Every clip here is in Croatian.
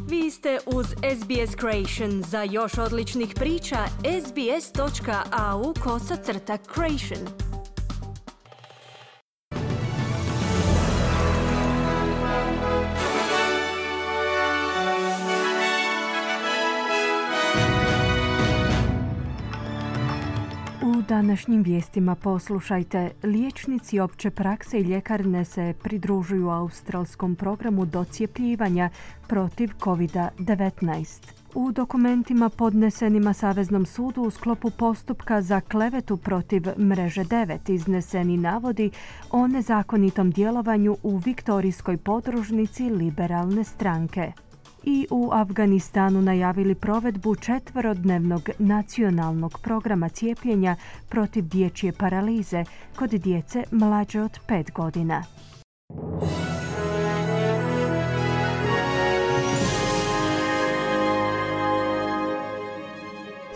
Vi ste uz SBS Creation. Za još odličnih priča, sbs.au/creation. U današnjim vijestima poslušajte, liječnici opće prakse i ljekarne se pridružuju australskom programu docijepljivanja protiv COVID-19. U dokumentima podnesenima Saveznom sudu u sklopu postupka za klevetu protiv Mreže 9 izneseni navodi o nezakonitom djelovanju u viktorijskoj podružnici liberalne stranke. I u Afganistanu najavili provedbu 4-dnevnog nacionalnog programa cijepljenja protiv dječje paralize kod djece mlađe od 5 godina.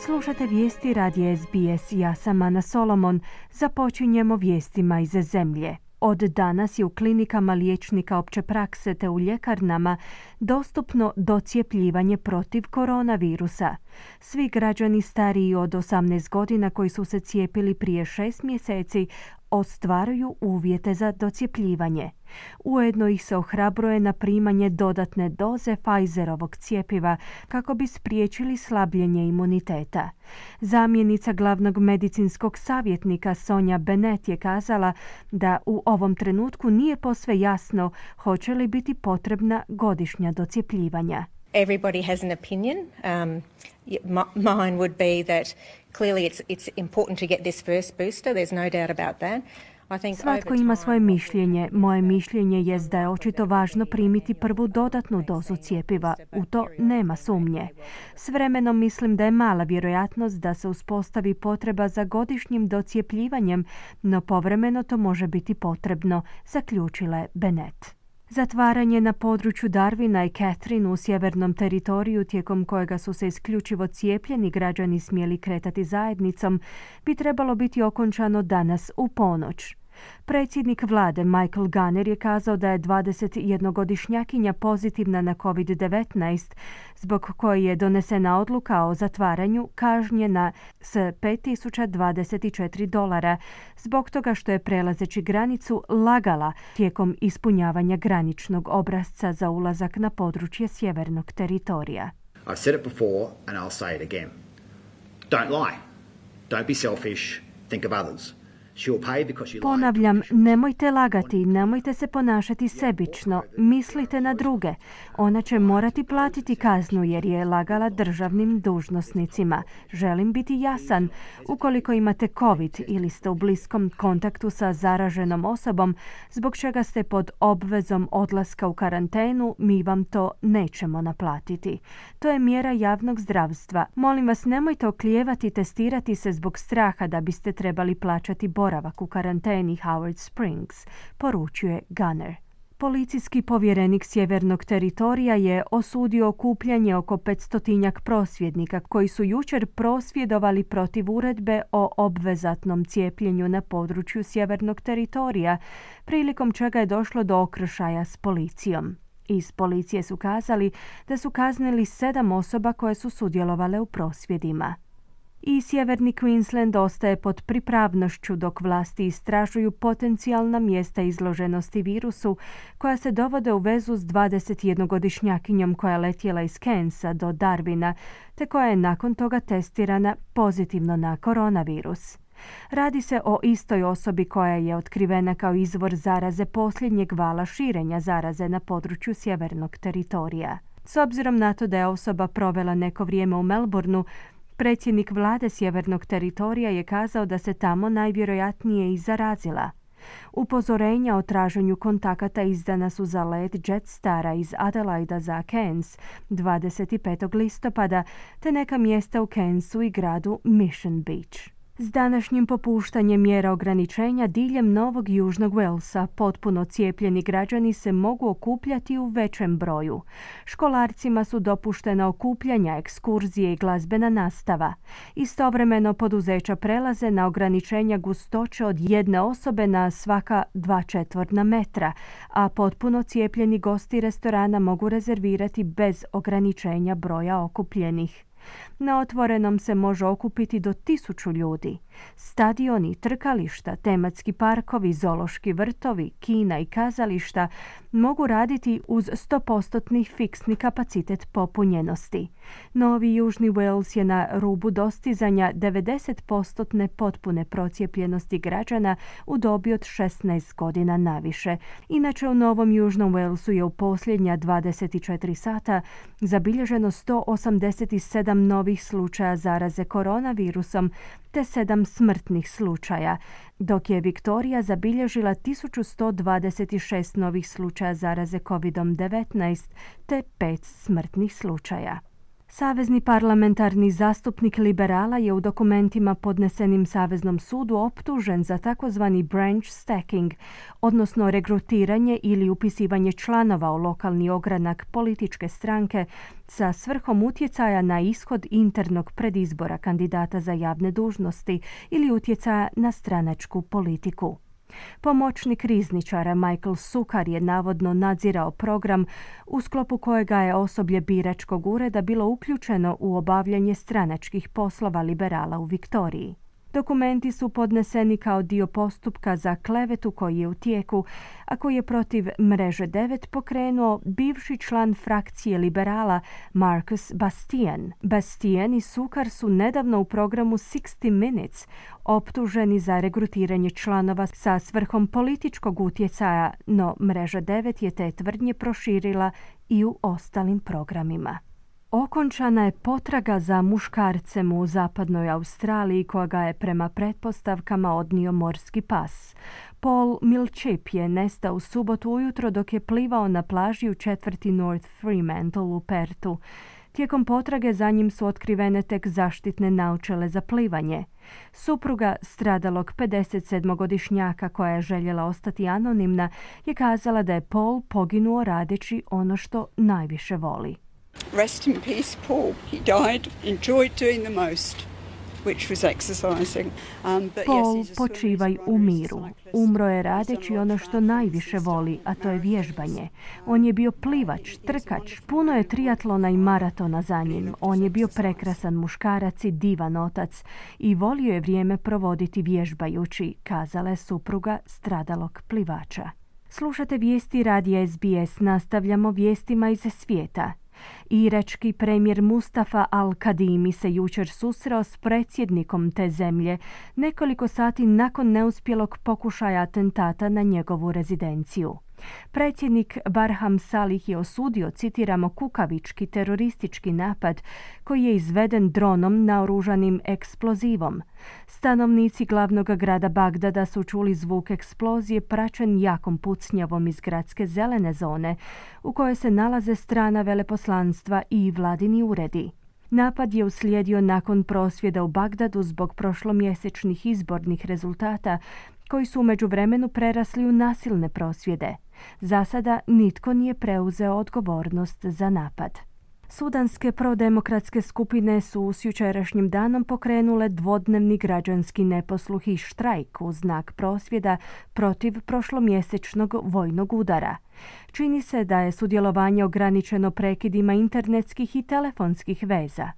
Slušate vijesti radija SBS. Ja sam Ana Solomon. Započinjemo vijestima iz zemlje. Od danas je u klinikama liječnika opće prakse te u ljekarnama dostupno docijepljivanje protiv koronavirusa. Svi građani stariji od 18 godina koji su se cijepili prije 6 mjeseci ostvaruju uvjete za docijepljivanje. Ujedno ih se ohrabruje na primanje dodatne doze Pfizerovog cjepiva kako bi spriječili slabljenje imuniteta. Zamjenica glavnog medicinskog savjetnika Sonja Bennett je kazala da u ovom trenutku nije posve jasno hoće li biti potrebna godišnja docijepljivanja. Everybody has an opinion. Mine would be that clearly it's important to get this first booster. There's no doubt about that. Svatko ima svoje mišljenje. Moje mišljenje je da je očito važno primiti prvu dodatnu dozu cjepiva. U to nema sumnje. S vremenom mislim da je mala vjerojatnost da se uspostavi potreba za godišnjim docijepljivanjem, no povremeno to može biti potrebno, zaključila je Bennett. Zatvaranje na području Darwina i Catherine u sjevernom teritoriju tijekom kojega su se isključivo cijepljeni građani smjeli kretati zajednicom bi trebalo biti okončano danas u ponoć. Predsjednik vlade Michael Gunner je kazao da je 21-godišnjakinja pozitivna na COVID-19, zbog koje je donesena odluka o zatvaranju kažnjena s $5,024 zbog toga što je prelazeći granicu lagala tijekom ispunjavanja graničnog obrasca za ulazak na područje sjevernog teritorija. I've said it before and I'll say it again. Don't lie. Don't be selfish. Think of others. Ponavljam, nemojte lagati, nemojte se ponašati sebično, mislite na druge. Ona će morati platiti kaznu jer je lagala državnim dužnosnicima. Želim biti jasan, ukoliko imate COVID ili ste u bliskom kontaktu sa zaraženom osobom, zbog čega ste pod obvezom odlaska u karantenu, mi vam to nećemo naplatiti. To je mjera javnog zdravstva. Molim vas, nemojte oklijevati testirati se zbog straha da biste trebali plaćati boravak u karanteni Howard Springs, poručuje Gunner. Policijski povjerenik sjevernog teritorija je osudio okupljanje oko 500 prosvjednika koji su jučer prosvjedovali protiv uredbe o obvezatnom cijepljenju na području sjevernog teritorija, prilikom čega je došlo do okršaja s policijom. Iz policije su kazali da su kaznili 7 osoba koje su sudjelovale u prosvjedima. I sjeverni Queensland ostaje pod pripravnošću dok vlasti istražuju potencijalna mjesta izloženosti virusu koja se dovode u vezu s 21-godišnjakinjom koja je letjela iz Cairnsa do Darwina te koja je nakon toga testirana pozitivno na koronavirus. Radi se o istoj osobi koja je otkrivena kao izvor zaraze posljednjeg vala širenja zaraze na području sjevernog teritorija. S obzirom na to da je osoba provela neko vrijeme u Melbourneu, predsjednik vlade sjevernog teritorija je kazao da se tamo najvjerojatnije i zarazila. Upozorenja o traženju kontakata izdana su za let Jetstara iz Adelaida za Cairns 25. listopada te neka mjesta u Cairnsu i gradu Mission Beach. S današnjim popuštanjem mjera ograničenja diljem Novog Južnog Walesa potpuno cijepljeni građani se mogu okupljati u većem broju. Školarcima su dopuštena okupljanja, ekskurzije i glazbena nastava. Istovremeno poduzeća prelaze na ograničenja gustoće od jedne osobe na svaka 2 četvorna metra, a potpuno cijepljeni gosti restorana mogu rezervirati bez ograničenja broja okupljenih. Na otvorenom se može okupiti do 1000 ljudi. Stadioni, trkališta, tematski parkovi, zoološki vrtovi, kina i kazališta mogu raditi uz 100% fiksni kapacitet popunjenosti. Novi Južni Wales je na rubu dostizanja 90% potpune procijepljenosti građana u dobi od 16 godina naviše. Inače, u Novom Južnom Walesu je u posljednja 24 sata zabilježeno 187 novih slučaja zaraze koronavirusom te 7 smrtnih slučaja, dok je Viktorija zabilježila 1126 novih slučaja zaraze COVID-19 te 5 smrtnih slučaja. Savezni parlamentarni zastupnik liberala je u dokumentima podnesenim Saveznom sudu optužen za takozvani branch stacking, odnosno regrutiranje ili upisivanje članova u lokalni ogranak političke stranke sa svrhom utjecaja na ishod internog predizbora kandidata za javne dužnosti ili utjecaja na stranačku politiku. Pomoćnik rizničara Michael Sukar je navodno nadzirao program u sklopu kojega je osoblje biračkog ureda bilo uključeno u obavljanje stranačkih poslova liberala u Viktoriji. Dokumenti su podneseni kao dio postupka za klevetu koji je u tijeku, a koji je protiv Mreže 9 pokrenuo bivši član frakcije liberala Marcus Bastian. Bastian i Sukar su nedavno u programu 60 Minutes optuženi za regrutiranje članova sa svrhom političkog utjecaja, no Mreža 9 je te tvrdnje proširila i u ostalim programima. Okončana je potraga za muškarcem u zapadnoj Australiji kojega je prema pretpostavkama odnio morski pas. Paul Milchip je nestao u subotu ujutro dok je plivao na plaži u četvrti North Fremantle u Pertu. Tijekom potrage za njim su otkrivene tek zaštitne naočale za plivanje. Supruga stradalog 57-godišnjaka koja je željela ostati anonimna je kazala da je Paul poginuo radeći ono što najviše voli. Rest in peace, Paul. He died, enjoyed doing the most, which was exercising. Paul, počivaj u miru. Umro je radeći ono što najviše voli, a to je vježbanje. On je bio plivač, trkač, puno je triatlona i maratona za njim. On je bio prekrasan muškarac i divan otac i volio je vrijeme provoditi vježbajući, kazala je supruga stradalog plivača. Slušate vijesti radija SBS, nastavljamo vijestima iz svijeta. Irački premijer Mustafa al-Kadimi se jučer susreo s predsjednikom te zemlje nekoliko sati nakon neuspjelog pokušaja atentata na njegovu rezidenciju. Predsjednik Barham Salih je osudio, citiramo, kukavički teroristički napad koji je izveden dronom naoružanim eksplozivom. Stanovnici glavnog grada Bagdada su čuli zvuk eksplozije praćen jakom pucnjavom iz gradske zelene zone u kojoj se nalaze strana veleposlanstva i vladini uredi. Napad je uslijedio nakon prosvjeda u Bagdadu zbog prošlomjesečnih izbornih rezultata koji su u međuvremenu prerasli u nasilne prosvjede. Za sada nitko nije preuzeo odgovornost za napad. Sudanske prodemokratske skupine su s jučerašnjim danom pokrenule dvodnevni građanski neposluh i štrajk u znak prosvjeda protiv prošlomjesečnog vojnog udara. Čini se da je sudjelovanje ograničeno prekidima internetskih i telefonskih veza.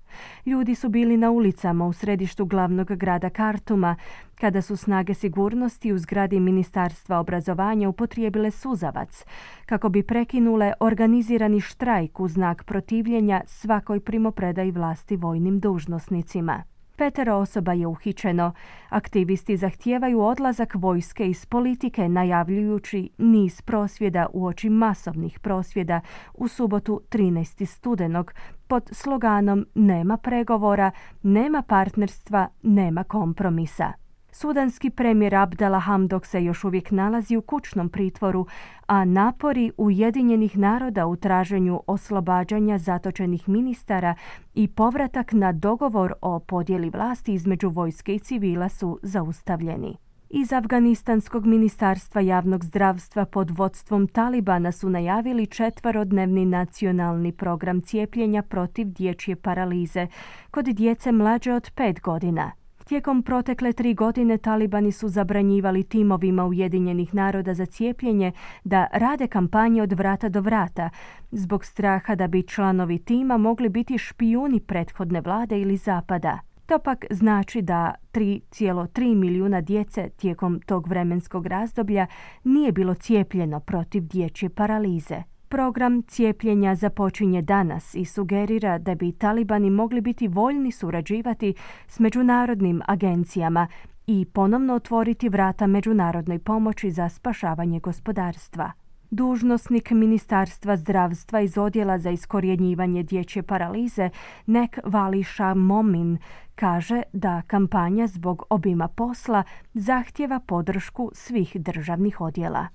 Ljudi su bili na ulicama u središtu glavnog grada Kartuma kada su snage sigurnosti u zgradi Ministarstva obrazovanja upotrijebile suzavac kako bi prekinule organizirani štrajk u znak protivljenja svakoj primopredaji vlasti vojnim dužnosnicima. 5 osoba je uhićeno. Aktivisti zahtijevaju odlazak vojske iz politike, najavljujući niz prosvjeda uoči masovnih prosvjeda u subotu 13. studenog pod sloganom "Nema pregovora, nema partnerstva, nema kompromisa". Sudanski premijer Abdalla Hamdok se još uvijek nalazi u kućnom pritvoru, a napori Ujedinjenih naroda u traženju oslobađanja zatočenih ministara i povratak na dogovor o podjeli vlasti između vojske i civila su zaustavljeni. Iz Afganistanskog ministarstva javnog zdravstva pod vodstvom Talibana su najavili 4-dnevni nacionalni program cijepljenja protiv dječje paralize kod djece mlađe od 5 godina. Tijekom protekle 3 godine Talibani su zabranjivali timovima Ujedinjenih naroda za cijepljenje da rade kampanje od vrata do vrata, zbog straha da bi članovi tima mogli biti špijuni prethodne vlade ili zapada. To pak znači da 3,3 milijuna djece tijekom tog vremenskog razdoblja nije bilo cijepljeno protiv dječje paralize. Program cijepljenja započinje danas i sugerira da bi Talibani mogli biti voljni surađivati s međunarodnim agencijama i ponovno otvoriti vrata međunarodnoj pomoći za spašavanje gospodarstva. Dužnosnik Ministarstva zdravstva iz Odjela za iskorjenjivanje dječje paralize Nek Vali Shah Momin kaže da kampanja zbog obima posla zahtijeva podršku svih državnih odjela.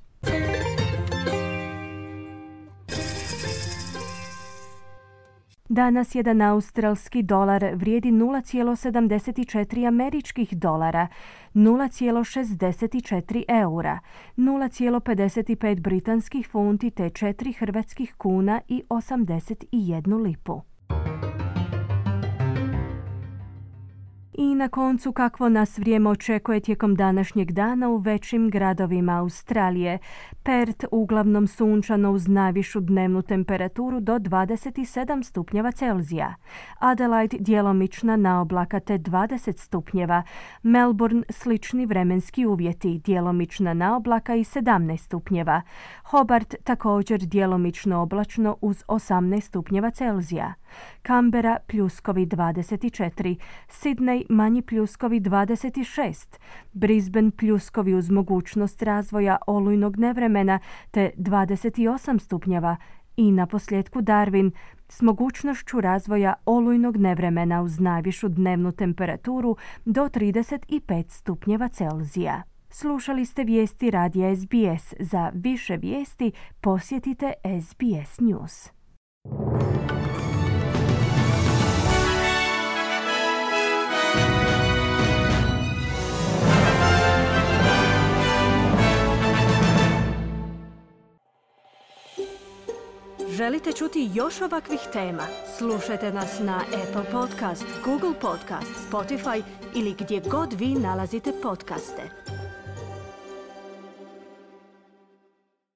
Danas jedan australski dolar vrijedi 0,74 američkih dolara, 0,64 eura, 0,55 britanskih funti te 4 hrvatskih kuna i 81 lipu. I na koncu kakvo nas vrijeme očekuje tijekom današnjeg dana u većim gradovima Australije. Perth uglavnom sunčano uz najvišu dnevnu temperaturu do 27 stupnjeva Celzija. Adelaide djelomična naoblaka te 20 stupnjeva. Melbourne slični vremenski uvjeti, djelomična naoblaka i 17 stupnjeva. Hobart također djelomično oblačno uz 18 stupnjeva Celzija. Canberra pljuskovi 24, Sydney manji pljuskovi 26, Brisbane pljuskovi uz mogućnost razvoja olujnog nevremena te 28 stupnjeva i naposljetku Darwin s mogućnošću razvoja olujnog nevremena uz najvišu dnevnu temperaturu do 35 stupnjeva Celzija. Slušali ste vijesti radija SBS. Za više vijesti posjetite SBS News. Želite čuti još ovakvih tema? Slušajte nas na Apple Podcast, Google Podcast, Spotify ili gdje god vi nalazite podcaste.